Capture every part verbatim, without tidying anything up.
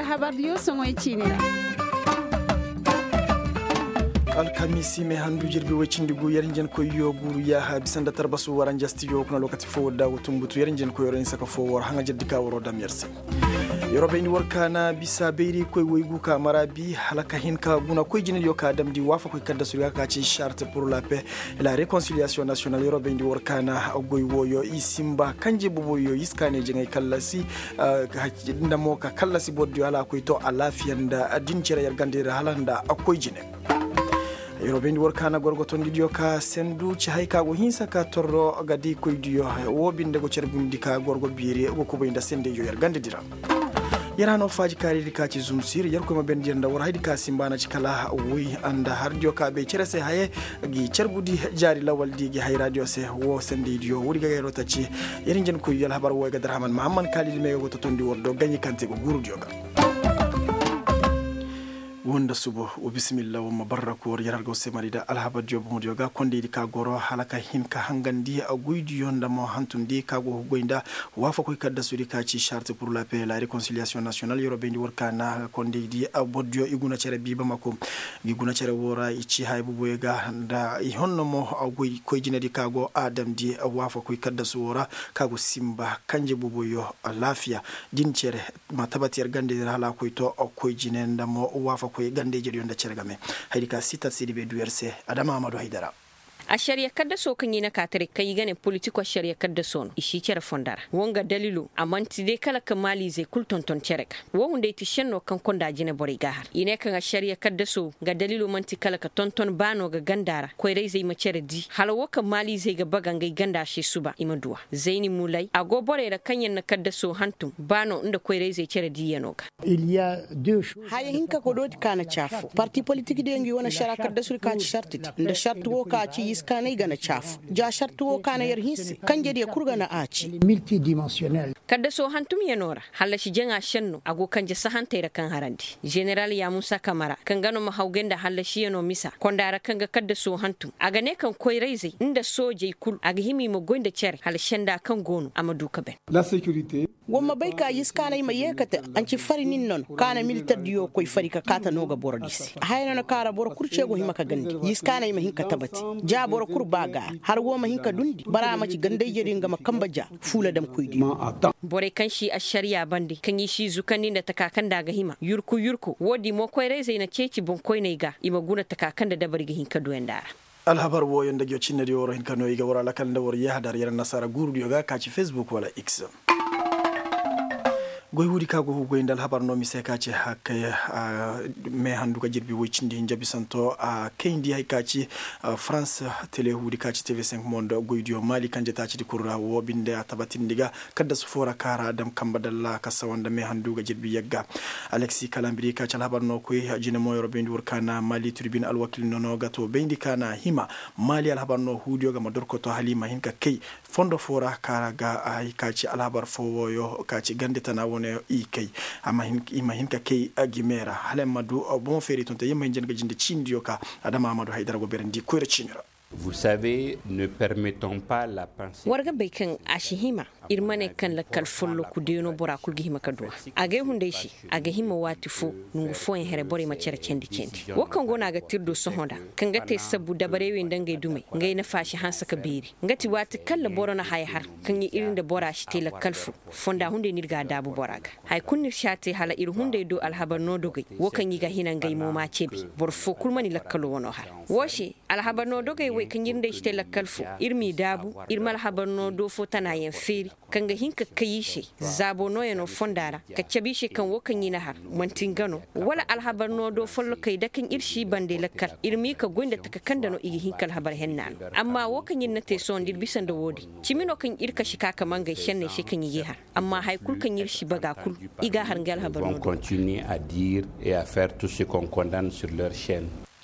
Habar diyo soŋoy ciini ra. Alkamiisi me handu jirbi woy cindi gu yer hinjankoyyo guuru yaaha bisa nda tarbasu waranja stijo kuna lokaci fo wadda wo tumbutu yer hinjankoyyo ra hinsa ka fo war haŋa jirdi ka waro dam yer se. Yer wo bayndi war kaana bisa bayrikoy woy gu ka mara bi hala ka hin ka guna koy jinediyo ka damndi waafakoy kaddasu di ga ka ci charte pour la paix et la réconciliation nationale yer wo bayndi war kaana goy wooyo i simba kanje boboyo i si kaanay jaŋay kallasi nda mo ka kallasi bordiyo hala a koy to alaafiya nda din cere yer ganda yer hala nda a koy jine. Yer wo bayndi war kaana gorgotondidiyo ka sendu ci hay ka go hinsa ka torro ga di koydiyo wo binde go carbundi ka gorgo biiri go kubay nda sendeyyo yer ganda di ra. Yer hano faaji kaaridi ka ci zumsir yer koy ma bayndi yer nda war haydi ka simba na ci kala woy nda hardiyo ka bay cere se haye gi carbudi jaari lawaldi gi hayraadiyo se wo sendeydiyo woodi ga yer wo taci. Yer hinjankoyyo alhabar wo ay ga darhaman mahamman kaalidi me go totondi war do gaɲi kaŋ te go guurudiyo ga. Wo nda subo wo bisimilla wo ma barra koori yer har ga wo se mari nda alhabardiyo bomodiyo ga kondaydi ka goro hala ka hin ka hangandi goydiyo nda mo hantumdi ka go goy nda waafakoy kaddasudi ka ci charte pour la paix la réconciliation nationale yer wo bayndi war kaana kondaydi bordiyo i guna cere biiba mako. Ngi guna cere wo ra i ci haya boboyo ga nda i honno mo goy koy jinedi ka go a damndi waafakoy kaddasu wo ra ka go simba kanje boboyo alaafiya din cere ma tabati yer ganda yer hala a koy to koy jine nda mo waafakoy ganda ijediyo nda cere game. Hayadi ka sitat sidi be du yer se adama amadu haydara. Ašariya kaddaso kaŋ i na ka taray kaŋ i ga ne politiko ašariya kaddaso no i si cere fondo ra wo nga dalilo a man'ti day kala ka maaliizey kulu tonton cere ga. Wo hunday ti šenno kaŋ konda jine borey ga a har i ne kaŋ ašariya kaddaso nga dalilo man'ti kala ka tonton baano ga ganda ra koyrayzey ma cere di hala wo kaŋ maaliizey ga baga ngey ganda se suba i ma du a. Zayni mulay a go borey ra kaŋ yaŋ na kaddaso hantum baano nda koyrayzey cere diiyano ga. Haya hinka ka dooti ka na ci afo parti politik diyo ngi wane šara kaddasudi ka ci šarti di nda šarti wo ka ci i si kaanay ga na ci afo ja šarti wo ka na yer hinse kanjediyo kul ga na a ci. Kaddaso hantumyano ra hallasi jaŋa šenno a go kanje sahantey ra kaŋ harandi ženeral yaamusa kamara kaŋ ga no ma hawgay nda hallasiyano misa konda ra kaŋ ga kaddaso hantum a ga ne kaŋ koyrayzey nda soojey kul a ga hima i ma goy nda cere hala senda kaŋ go no a ma du ka ben. Wa ma bay ka yiskaanay ma yeekate anci fari nin non kaana militar diyo koy fari ka kaata no ga boro di se haya no na kaara boro kul ce go hima ka gandi yiskaanay ma hin ka tabati ja boro kul ba ga har wo ma hin ka dundi bara ma ci gandayjeri nga ma kamba ja fuula dam koy diyo. Borey kaŋ si ašariya bande kaŋ i si zukandi nda taka kaŋ nda a ga hima yurku yurku wo- di mo koyrayzey na ceeci boŋkoyney ga i ma guna taka kaŋ nda dabari ga hin ka duwandi a ra. Alhabar wooyo nda ngiyo cinnediyo war hin ka no i ga war alakal nda war yahadar yer annasaara guurudiyo ga ka ci facebook wala x. Goy woodi ka go ga goy nda alhabar no mise ka ci hakkay. Me handu ga jirbi woy cindi hinja bisanto a kayndi hay ka ci farans tele woodi ka ci tv cinq monde goydiyo maali kanje taacidi kul ra wo binde a tabatindi ga kaddasu fo ra ka ra a dam kamba dalla ka sawa nda me handu ga jirbi yagga. Alexi kalambiri ka ci alhabar no koy jine mo yer wo bayndi war ka na maali turbin alwakil nono ga to bayndi ka na hima maali alhabar no huudiyo ga ma dorkoto hala i ma hin ka kay fondo fo ra ka ga ay ka ci alhabar fo wooyo ka ci gande tana wane i kay. Amma i ma hin ka kay gime ra hala ay ma du bomo feeri tonton yamma hinja ni ga jinde ciinidiyo ka adama amadu haydara go beerandi koyra ciini ra. War ga bay kaŋ a si hima ir ma ne kaŋ lakkal folloku deeno bora kul ga hima ka du a a gay hunday se. A ga hima waati fo nongu fooyaŋ here borey ma care candi candi wo kaŋ go no a ga te ir do sohõ nda kaŋ ga te sabbu dabarey wey nda ngey dumey ngey nafa si hanse ka beeri nga ti waati kaŋ ra boro na haya har kaŋ ir nda bora si te lakkal fo fonda hunday no ir ga a daabu bora ga. Haya kulu no ir si a te hala ir hunday do alhabar no dogey wo kaŋ i ga hina ngey mo m'a ceebi boro fo kulu mana i lakkalo wano har wo se alhabar no dogey wey kaŋ ir nda ay si te lakkal fo ir m'i daabu ir ma alhabar no do fo tanayaŋ feeri kaŋ ga hin ka kay i se zaabo nooyano fonda ra ka cabe i se kaŋ wo kaŋ i na har man'ti nga no wala alhabar no do follokey da kaŋ ir si i bande lakkal ir m'i ka goy nda taka kaŋ nda no i ga hin ka alhabar henna no amma wo kaŋ ir na te sohõ nda ir bisa nda wo- din cimi no kaŋ ir kasi ka ka mangay šenney se kaŋ i g'i har amma haya kulu kaŋ ir si baga kulu i g'a har ngey alhabar no do.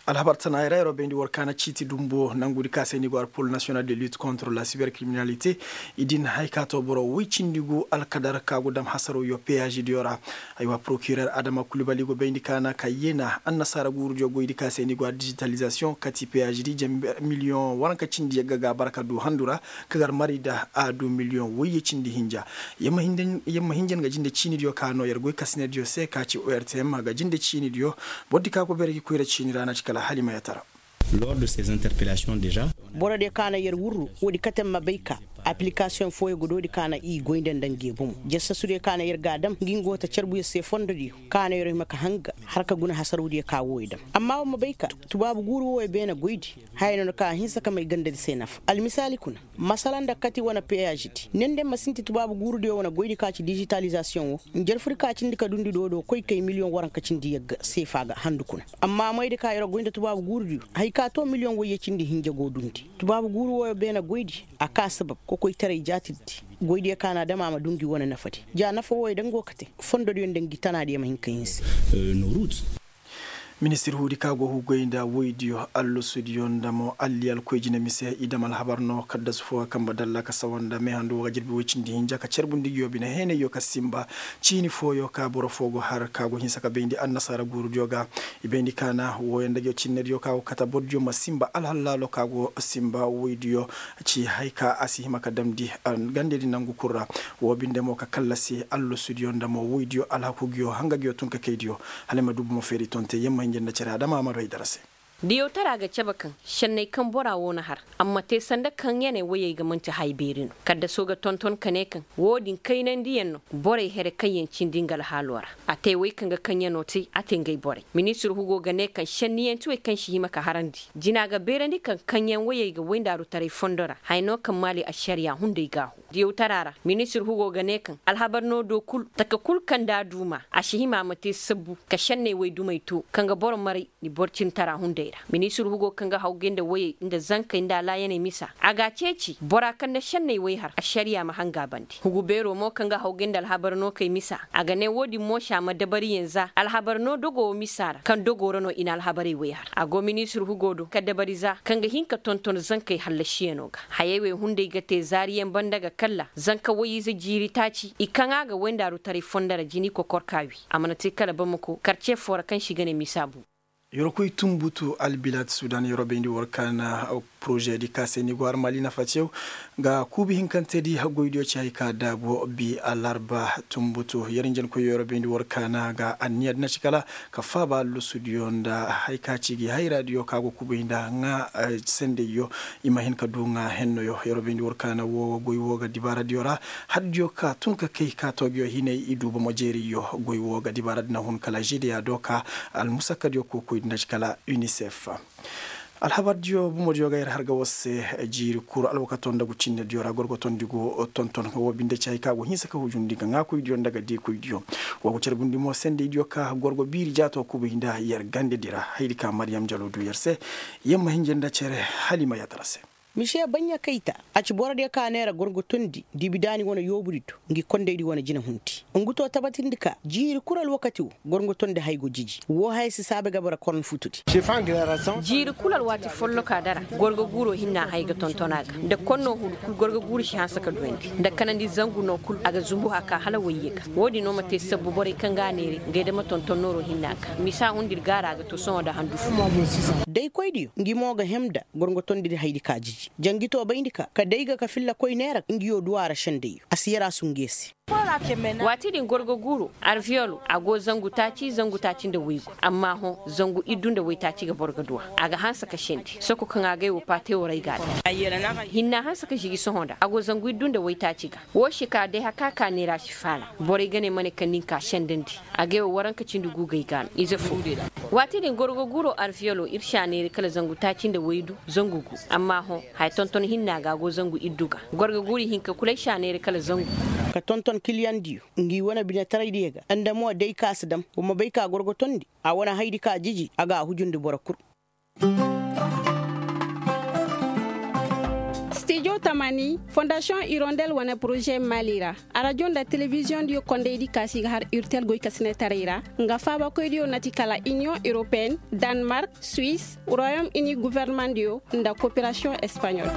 Alhabar tana ay ra yeroo bayndi war kaana ciiti dumbo nangudi ka se ni go ar pol nasiyonal de lit kontre la siber kriminalite. I din hay ka to boro woy cindi gu alkadar ka go dam hasaroo yo peyazidi yo ra. Aywa porokirer adama kulibali go bayndi kaana ka yeena annasaara guuru diyo goydi ka se ni go ar dijitalizasiyoŋ kati peyazidi jember miliyoŋ waranka cindi yagga ga bara ka du handu ra. Ka gar mari nda a du miliyoŋ woyye cindi hinja. Yer ma hinjan ga jinde ciini diyo ka noo yer goy kasine diyo se ka ci ortm ga jinde ciini diyo. Boro di ka go beere gi koyra ciini ra na ci kala hala i ma yatara. Lors de ces interpellations déjà. Boro diyo ka na yer wurru woodi kate ma bay ka aplikasiyoŋ fooyo ga doodi ka na i goy nda nda ngi bomo jasasu diyo ka na yer ga a dam ngi nga wo ta carbu yer se fondo diyo ka na yer hima ka hanga har ka guna hasaroo diyo ka wooyo dam. Amma war ma bay ka tubaabu guuru wooyo beene goydi haya no na ka a hinsa ka may gandadi se nafa almisaali kuna. Masala nda kati wane peyazidi ne nda ma sinti tubaabu guurudiyo wane goydi ka ci dijitalizasiyoŋo. Njarfudi ka cindi ka dundi doodoo koy kay miliyoŋ waranka cindi yagga seefa ga handu kuna. Amma maydi ka yeroo goy nda tubaabu guurudiyo hay ka too miliyoŋ woyye cindi hinja go dundi. Tubaabu guuru wooyo beene goydi a ka sabab kokoytaray jaatirdi. Goydiyo ka na a dam a ma du ngi wane nafadi ja nafa wooyo daŋ go ka te fondodiyo nda ngi tanaadiyo ma hin ka hinse. Ministir huudi ka go hugoy nda woydiyo allasudiyo nda mo alliyal koy jine mise i dam alhabar no kaddasu foo ga kambe dalla ka sawa nda meehandu woo ga jirbi woy cindi hinja ka carbundi ngiyo bine heenayyo ka sinba. Ciini fooyo ka boro foo go har ka go hinsa ka bayndi annasaara guurudiyo ga. I bayndi kaana wooyo nda ngiyo cinnediyo ka go kate borodiyo ma sinba alhallaalo ka go sinba woydiyo. Ci hay ka a si hima ka damndi gandedi nangu kul ra. Woo binde mo ka kallasi allasudiyo nda mo woydiyo alhaku ngiyo hanga ngiyo tun ka kaydiyo. Hala ay ma du bomo feeri tonte yer ma hinja nda cere adama a ma du ay dara se. Diyawtara ga cabe kaŋ šenney kaŋ bora woo na har a ma te sanda kaŋ ɲaney woyey ga man'ti haya beeri no. Kaddasoo ga tonton ka ne kaŋ woo din kaynandiyaŋ no borey here kaŋ yaŋ cindi nga alhaaloo ra. A te wey kaŋ ga kaŋ ɲanoo te a te ngey borey ministir hugo ga ne kaŋ šenniyanti wey kaŋ si hima ka harandi jina ga beerandi kaŋ kaŋ ɲaŋ woyey ga woyndaarutaray fondo ra haya no kaŋ maali ašariya hunday gaahu. Diyawtara ra ministir hugo ga ne kaŋ alhabar no do kul taka kul kaŋ nda a duuma a si hima a ma te sabbu ka šenney wey dumey to kaŋ ga boro maray ni boro cintara hunday ra. Ministir hugo kaŋ ga hawgay nda woyey nda zankey nda alaayaney misa a ga a ceeci bora kaŋ na šenney wey har ašariya ma hanga a bande hugu beeroo mo kaŋ ga hawgay nda alhabar no kay misa a ga ne woo din mo si a ma dabariyaŋ za alhabar no dogoo misa ra kaŋ dogoo ra no i na alhabarey wey har a go ministir hugo do ka dabari za kaŋ ga hin ka tonton zankey hallasiyanoo ga. Hayey wey hunday ga te zaariyaŋ banda ga kalla zanka woy-ize jiiri taaci i kaŋ a ga woyndaarutaray fondo ra jini kokorka wi a mana te kala bamako karce foo ra kaŋ se i ga ne misa bu. Yeroo koy tunbutu albilaad sudan yeroo bayndi war kaana poroze di ka se ni go har maali nafa cew ga kuubi hinkante di goydiyo ci hay ka daabu bi alarba tunbutu yer njankoyyo yeroo bayndi war kaana ga anniya di na ci kala ka faaba allusudiyo nda hay ka ci gi hayraadiyo ka go kuubi nda ŋaa sendeyyo. I ma hin ka du ŋaa hennoyo yeroo bayndi war kaana woo goy woo ga dibaaradiyo ra. Haddiyo ka tun ka kay ka toogiyo hinay i du bomo jeeriyo goy woo ga dibaaradi na hun kala žedeya do ka almusakkadiyo kokoydi na ci kala unicef. Alhabardiyo bomodiyo ga yer har ga war se jiiri kuru alwakato nda gu cinnediyo ra gorgotondi go tonton woo binde ci hay ka go hinsa ka hujundi ga ŋaakoydiyo nda ga diikoydiyo. Woo go carbundi mo sendeydiyo ka gorgo biiri jaato kubuy nda yer gandedi ra haydi ka mariyam jalo du yer se. Yer ma hinja nda cere hala i ma yadda ra se. Misiye baɲɲa kayta a ci borodiyo ka neera gorgotondi dibidaani wane yoobudi do ngi kondaydi wane jinahundi. Ngu to tabatindi ka jiiri kul alwakati wo gorgotondi hay go jiji woo haya si saabe ga bara korno futudi. Jiiri kul alwaati folloka dara gorgo guuroo hinna hay ga tonton a ga nda konnoo huru kul gorgo guuru si hanse ka duwandi nda kanandi zangu no kul a ga zumbu haka hala wayye ga. Woo din no ma te sabbu borey kaŋ ga a neeray ngey dama tonton nooroo hinna ga misa hundir gaara a ga to sohõ nda handu fo. Daykoydiyo ngi mo ga hem nda gorgotondidi haydi ka jiji. Jangi to bayndi ka ka day ga ka filla koy neera ngiyo duwa ra sendayyo a si yara sunge se. Waati din gorgo guuro arviyolo a go zangu taaci zangu taaci nda waygu amma hõ zangu iddu nda waytaaci ga boro ga duwa. A ga hanse ka sendi soko kaŋ a gay wo paate waray ga a daŋ. Hinna hanse ka žigi sohõ nda a go zangu iddu nda waytaaci ga. Woo se ka day haka ka neera si faala borey ga ne ma ne kaŋ nin ka sendandi. A gay wo waranka cindi guugay ga no ize fo. Waati din gorgo guuro arviyolo ir si a neeri kala zangu taaci nda waydu zangu gu. Amma hõ haya tonton hinna ga a go zangu iddu ga. Gorgo guuri hinka kul ay si a neeri kala zangu. Ka tonton kiliyandiyo ngi wane binetaraydiyo ga nda mo day ka si dam wa ma bay ka gorgotondi. A wane haydi ka jiji a ga a hujundi boro kul. Stijo. Tamani fondasiyoŋ irondel wane poroze mali ra, arajo nda telebiziyoŋ diyo kondey di kaasi ga har urtel goy ka sine taray ra. Nga faabakoy diyo na ti kala iniyoŋ europeen, danmark, suwis, royom ini gofornamaŋ diyo nda koperasiyoŋ espaɲol.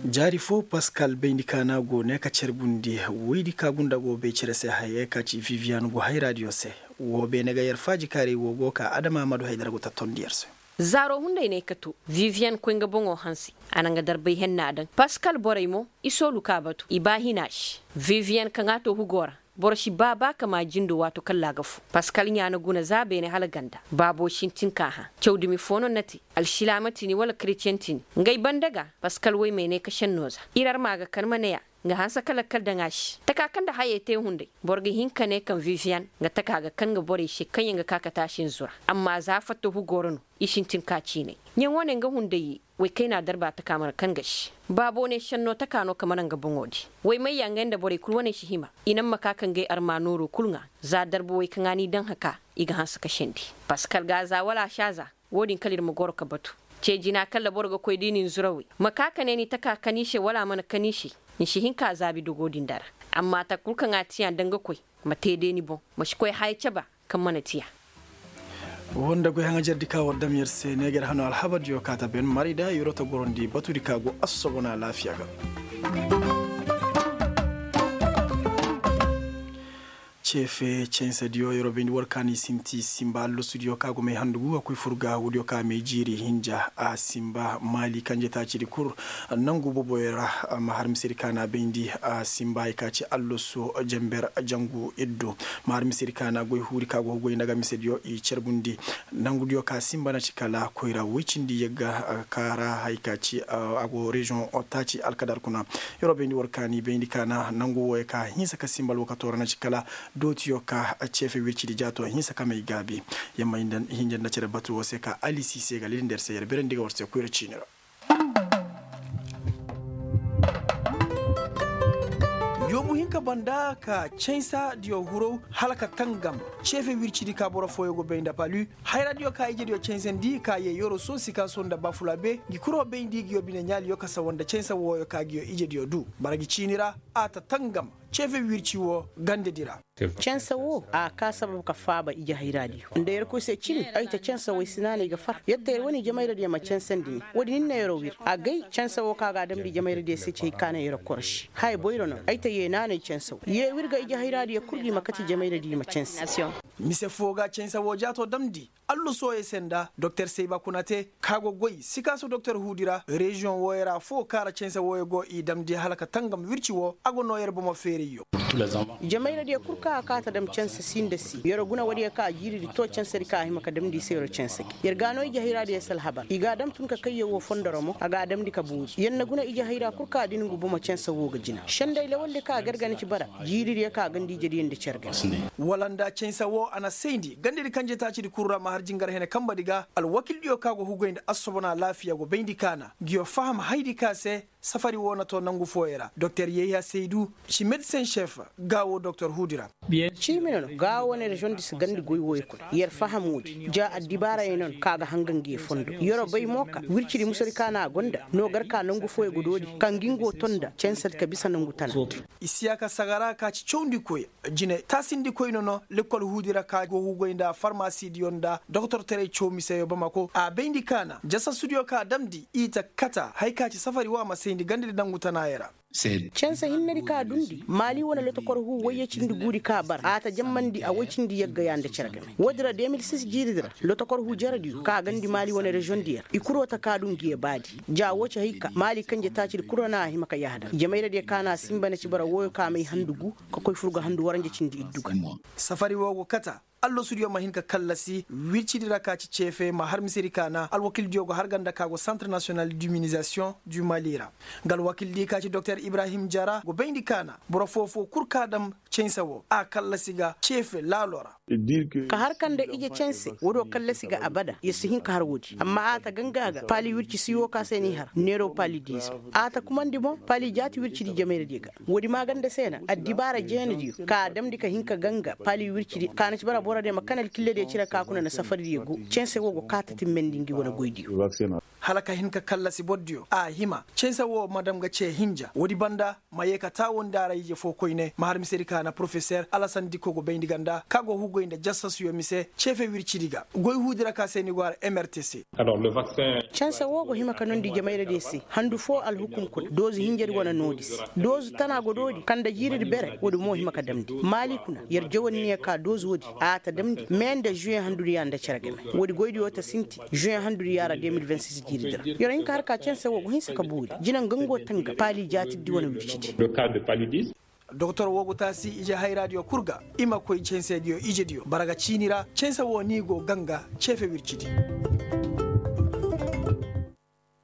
Jaari fo paskal bayndi kaana go ne ka carbundi woydi ka gunda go bay cere se hayey ka ci viviyan go hayra diyo se. Wo beene ga yer faaji kaaray wo go ka adama amadu haydara go tattondi yer se. Zaaro hunday ne ka to viviyan koy nga boŋo hanse. A na nga darbay henna daŋ paskal borey mo i soolu ka batu i ba hina se. Viviyan kaŋ a to hugo ra boro si ba ba ka ma jindo waato kalla a ga fu. Paskal ɲaana guna za beene hala ganda baabo sintin ka hã. Cawdumi fo no na te alsilaama tini wala kretiyeŋ tini. Ngey banda ga paskal woy may ne ka senno za ir arma ga kan ma ne a. Nga hanse ka lakkal daŋ a se taka kaŋ nda hayey te hunday. Boro ga hin ka ne kaŋ viviyan nga taka ga kan nga borey se kaŋ yaŋ ga ka ka taasi nzura. Amma za fatta hugo ra no i sintin ka ciinay. Ɲaŋo ne nga hunday ye. Woy kayna darba taka mana kaŋ ga se baabo ne senno taka no ka mana nga boŋo di. Woy may ya ngey nda borey kul wane si hima i naŋ ma ka ka ngey arma nooro kul ŋa. Za darba woy kaŋ a n'i daŋ haka i ga hanse ka sendi. Paskal ga za wala a si a za. Wo-din kala ir ma goro ka batu. Ce jina kala boro ga koy da i na ni zurawey ma ka ka ne ni taka ka ni se wala a mana ka ni se. Ni si hin ka zaabi dogo din dara. Amma taka kul kaŋ a tiya nda nga koy ma te day ni boŋ. Ma si koy haya caba kaŋ mana tiya. Wonda goy haŋajer di ka war dam yer se ne ga yer hano alhabar diyo ka ta ben maray da yer wata gorondi batu di ka go assobona alaafiya ga. Ceefe censediyo yeroo bayndi war ka ni sinti simba allosudiyo ka go may handugu a koy fur ga woodiyo ka may jiiri hinja a simba maali kanje taacidi kul. Nangu boboyo ra ma har misedi ka na bayndi a simba hay ka ci alloso jamber jangu iddu. Ma har misedi ka na goy huuri ka go goy nda ga misediyo i carbundi. Nangudiyo ka simba na ci kala koyra woy cindi yagga ka ra hay ka ci a go reziyoŋ taaci alkadar kuna. Yeroo bayndi war ka ni bayndi ka na nangu wooyo ka hinsa ka simba alwakato ra na ci kala dootiyo ka ceefe wircidi jaato hinsa ka may gaabi. Yamma hinja nda cere batu woo se ka alisi se ga lidindi yer se yer berandi ga war se koyra ciini ra. Yoobu hinka banda ka cansa diyo huraw hala ka tangam ceefe wircidi ka boro fooyo go bay nda palu. Hayra diyo ka ije diyo cansandi ka yee yoro soosi ka so nda bafulabe ngi kuro bayndi ngi yo bine ɲaali yo ka sawa nda cansa wooyo ka ngi yo ije diyo du bara ngi ciini ra. A ta tangam ceefe wirci woo gandedi ra. Cansa woo a kaa sabab ka faaba ije hayra diyo nda yerkoy se cimi. Ay ta cansa woo ay si naanay ga far yer ta yer wane ije mayradiyo ma cansandi ni woodi nin na yeroo wir. Agay cansa woo ka ga a damndi ije mayradiyo se ci hay ka na yeroo koroši haya boyro no. Ay ta yee naanay cansa woo yee wir ga ije hayra diyo kul gi ma kate ije mayradiyo ma cansa. Mise foo ga cansa woo jaatoo damndi allusooyey se nda doktor seyba kuna te ka go goy sikaaso doktor huudi ra reziyoŋ wooyo ra foo kaara cansa wooyo go i damndi hala ka tangam wirci woo a go noo yer bomo feerayyo. Jamayradiyo kul ka a kaa ta dam cansa si nda si yeroo guna woodiyo ka jiiridi too cansadi ka a hima ka damndi i se yeroo cansa gi yer ga a noo ije hayraadiyo se alhabar i ga a dam tun ka kayyo woo fondoro mo a ga a damndi ka boori yer na guna ije hayra kul ka a din ngu bomo cansa woo ga jina senday lawaldi ka a gargana ci bara. Jiiridiyo ka a ganda ijediyo nda cargay. Wala nda cansa woo a na sayndi gandadi kanje taacidi kul ra ma har jingar hene kambadi ga alwakildiyo ka go hugay nda assobona alaafiya go bayndi ka na ngiyo faham hayadi ka se. Safari woo na too nangu fooyo ra doktor yayha saydu ci medisen šef. Gaawoo doktor huudi ra. Ciimi no no gaawoo wane reziyoŋ di si gandi goy wooyo kuna yer faham woodi ja addibaarayey no no ka ga hanga ngiyo fondo yeroo bay mo ka wircidi musadi ka na a gonda no gar ka nangu fooyo go doodi ka ngi ngo tonda cansadi ka bisa nangu tana. Isiyaka sagara ka ci cawndikoy jine taasindikoy no no lekkol huudi ra ka go hugay nda farmasidiyo nda doktortaray caw miseyo bamako a bayndi ka na jasasudiyo ka damndi i ta kata hay ka ci safari woo a ma sayndi gandadi nangu tanaayo ra. Cansa hinnedi ka dundi maali wane lotokor huu woyye cindi guudi ka bara a ta jammandi a woy cindi yagga yaa nda cere game woodi ra de mil sis jiiridi ra lotokor huu jerediyo ka gandi maali wane reziyoŋ diyo ra i kuroo ta ka du ngiyo baadi. Ja woo ci hay ka maali kanje taacidi kul ra na a hima ka yahadar jamayradiyo ka na a sinba na ci bara wooyo ka may handu guu ka koy fur ga handu waranja cindi iddu ga. Safari woo go kata allasudiyo ma hin ka kallasi wircidi ra ka ci ceefe ma har misedi ka na alwakildiyo go har ganda ka go santre nasiyonal diminizasiyoŋ du mali ra. Nga alwakildi ka ci doktor ibrahim jara go bayndi ka na boro foo-foo kul ka dam cansa woo a kallasi ga ceefe laalo ra. Ka har ka nda ije canse woodiyo kallasi ga abada yer si hin ka har woodi amma a ta ganga ga paali wirci si woo ka se n'i har neeroo paali diizo. A ta kumandi boŋ paali jaati wircidi jamayradiyo ga. Woodi maaganda se na addibaara jeenadiyo ka a damndi ka hin ka ganga paali wircidi ka na ci bara borodiyo ma kan alkilladiyo cire ka kuna na safaridiyo go canse woo go kaa ta timmandi ngi wane goydiyo. Hala ka hin ka kallasi bordiyo a hima cense wo ma dam ga ce hinja woodi banda ma yee ka taawandi a ra ije fo koyne ma har misedi ka na porofeser alasan dikko go bayndi ganda ka go hugoy nda jassasuyo mise ceefe wircidi ga goy huudi ra ka se ni go a ra mrtc. Canse woo go hima ka nondi jamayradiyo se handu foo alhukum kuna doozu hinjadi wane noodi se doozu tana go doodi kaŋ nda jiiridi bere woodi mo hima ka damndi maali kuna yer jawanniya ka doozu woodi a ta damndi mee nda žuweŋ handudiya nda cere game woodi goydiyo ta sinti žuweŋ handudiya ra de mil vingt six jiiridi ra yer hin ka har ka canse woo go hinsa ka boori jina nga ngo tanga paali jaatirdi wane wircidi. Doktor woo go taasi ije hayraadiyo kul ga i ma koy cansediyo ijediyo bara ga ciini ra canse woo ni go ganga ceefe wircidi.